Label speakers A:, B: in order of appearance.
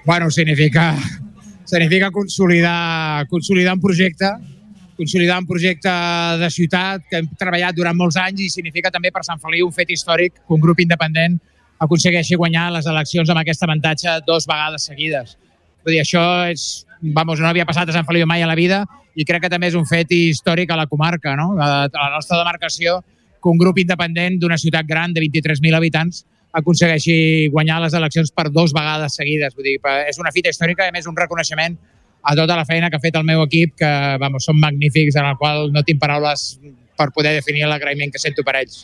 A: Bueno, significa consolidar un projecte de ciutat que hem treballat durant molts anys i significa també per Sant Feliu un fet històric que un grup independent aconsegueixi guanyar les eleccions amb aquest avantatge 2 vegades seguides. Vull dir, això no havia passat a Sant Feliu mai a la vida i crec que també és un fet històric a la comarca, no? A la nostra demarcació, que un grup independent d'una ciutat gran de 23.000 habitants aconsegueixi guanyar les eleccions per 2 vegades seguides. Vull dir, és una fita històrica i, a més, un reconeixement a tota la feina que ha fet el meu equip, que són magnífics, en el qual no tinc paraules per poder definir l'agraïment que sento per ells.